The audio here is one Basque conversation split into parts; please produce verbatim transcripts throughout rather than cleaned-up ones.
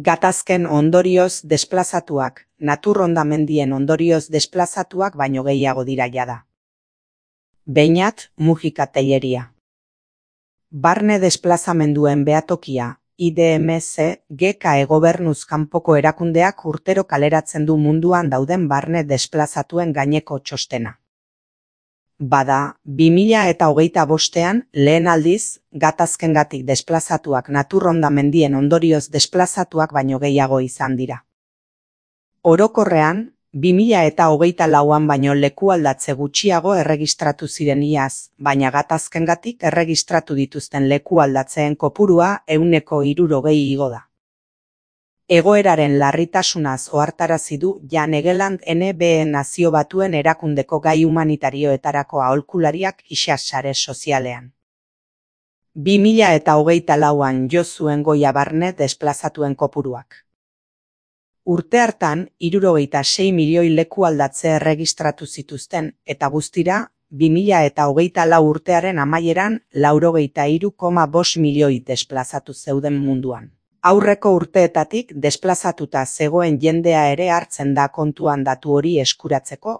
Gatazken ondorioz desplazatuak, natur hondamendien ondorioz desplazatuak baino gehiago dira jada. Beñat, Mujika Telleria. Barne desplazamenduen behatokia, I D M C, G K E gobernuz kanpoko erakundeak urtero kaleratzen du munduan dauden barne desplazatuen gaineko txostena. Bada, bi mila eta hogeita bostean, lehen aldiz, gatazkengatik desplazatuak natur hondamendien ondorioz desplazatuak baino gehiago izan dira. Orokorrean, bi mila eta hogeita lauan baino lekualdatze gutxiago erregistratu ziren iaz, baina gatazkengatik erregistratu dituzten lekualdatzeen kopurua ehuneko hirurogei igo da. Egoeraren larritasunaz ohartarazi du Jan Egeland N B E Nazio Batuen Erakundeko gai humanitarioetarako aholkulariak ixas sare sozialean. bi mila eta hogeita lauan jo zuen goia barne desplazatuen kopuruak. Urte hartan, hirurogeita sei milioi lekualdatze erregistratu zituzten, eta guztira, bi mila eta hogeita lau urtearen amaieran, laurogeita hiru koma bost milioi desplazatu zeuden munduan. Aurreko urteetatik desplazatuta zegoen jendea ere hartzen da kontuan datu hori eskuratzeko.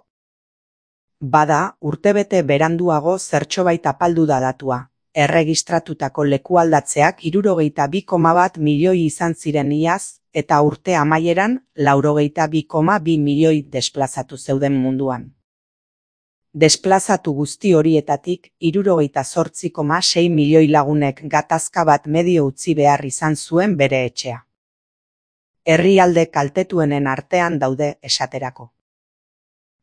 Bada, urtebete beranduago zertxobait apaldu da datua. Erregistratutako lekualdatzeak hirurogeita bi koma bat milioi izan ziren iaz, eta urte amaieran laurogeita bi koma bi milioi desplazatu zeuden munduan. Desplazatu guzti horietatik hirurogeita zortzi koma sei milioi lagunek gatazka bat medio utzi behar izan zuen bere etxea. Herrialde kaltetuenen artean daude esaterako.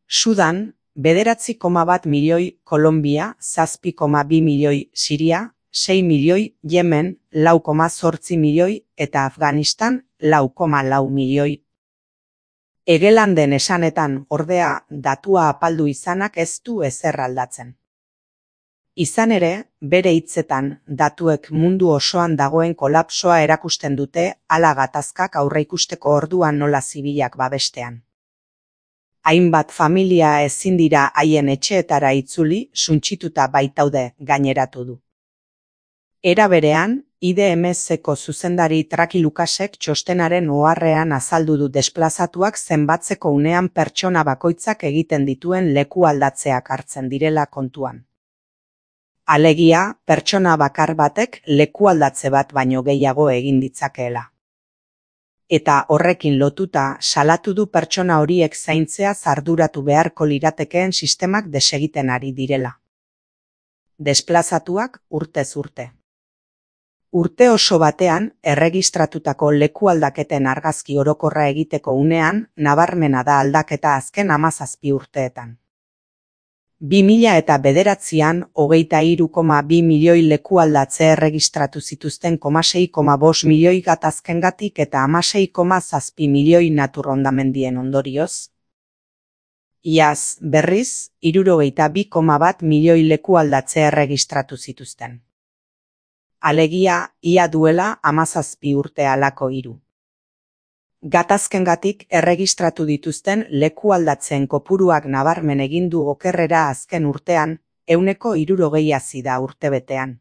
Sudan, bederatzi koma bat milioi, Kolombia, zazpi koma bi milioi, Siria, sei milioi, Yemen, lau koma zortzi milioi, eta Afganistan, lau koma lau milioi. Egelanden esanetan, ordea, datua apaldu izanak ez du ezer aldatzen. Izan ere, bere hitzetan, datuek mundu osoan dagoen kolapsoa erakusten dute hala gatazkak aurreikusteko orduan nola zibilak babestean. Hainbat familia ezin dira haien etxeetara itzuli, suntsituta baitaude gaineratu du. Era berean, I D M C-ko zuzendari Traki Lukasek txostenaren oharrean azaldu du desplazatuak zenbatzeko unean pertsona bakoitzak egiten dituen leku aldatzeak hartzen direla kontuan. Alegia, pertsona bakar batek leku aldatze bat baino gehiago egin ditzakeela. Eta horrekin lotuta salatu du pertsona horiek zaintzea arduratu beharko liratekeen sistemak desegiten ari direla. Desplazatuak urtez urte. Urte oso batean, erregistratutako lekualdaketen argazki orokorra egiteko unean, nabarmena da aldaketa azken hamazazpi urteetan. bi mila eta bederatzian, hogeita hiru koma bi milioi lekualdatze erregistratu zituzten koma sei koma bost milioi gatazkengatik eta hamasei koma zazpi milioi natur hondamendien ondorioz. Iaz, berriz, hirurogeita bi koma bat milioi lekualdatze erregistratu zituzten. Alegia, ia duela hamazazpi urte halako hiru. Gatazkengatik erregistratu dituzten lekualdatzen kopuruak nabarmen egin du okerrera azken urtean, ehuneko hirurogei hazi da urtebetean.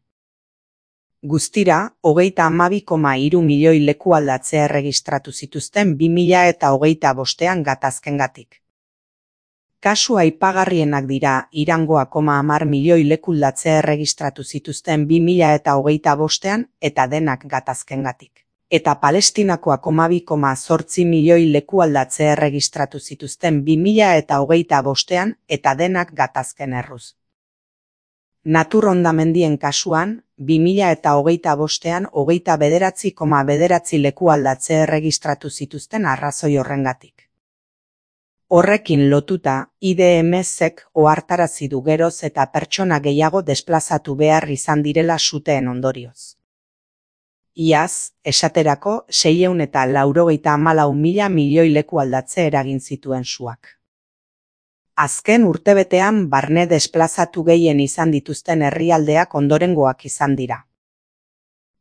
Guztira, hogeita hamabi koma hiru milioi lekualdatze erregistratu zituzten bi mila eta hogeita bostean gatazkengatik. Kasu aipagarrienak dira Irangoa koma hamar milioi lekualdatze erregistratu zituzten bi mila eta hogeita bostean eta denak gatazkengatik. Eta Palestinakoa koma bi koma zortzi milioi lekualdatze erregistratu zituzten bi mila eta hogeita bostean eta denak gatazken erruz. Natur hondamendien kasuan, bi mila eta hogeita bostean hogeita bederatzi koma bederatzi lekualdatze erregistratu zituzten arrazoi horrengatik. Horrekin lotuta, I D M C-ek ohartarazi du geroz eta pertsona gehiago desplazatu behar izan direla suteen ondorioz. Iaz, esaterako, seiehun eta laurogeita hamalau mila milioi lekualdatze eragin zituen suak. Azken urtebetean barne desplazatu gehien izan dituzten herrialdeak ondorengoak izan dira.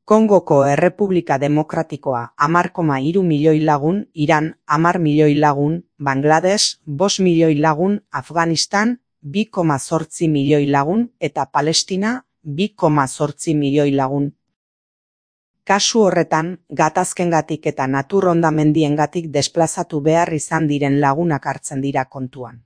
Kongoko Errepublika Demokratikoa hamar koma hiru milioi lagun, Iran hamar milioi lagun, Bangladesh bost milioi lagun, Afganistan bi koma zortzi milioi lagun eta Palestina bi koma zortzi milioi lagun. Kasu horretan, gatazkengatik eta natur hondamendiengatik desplazatu behar izan diren lagunak hartzen dira kontuan.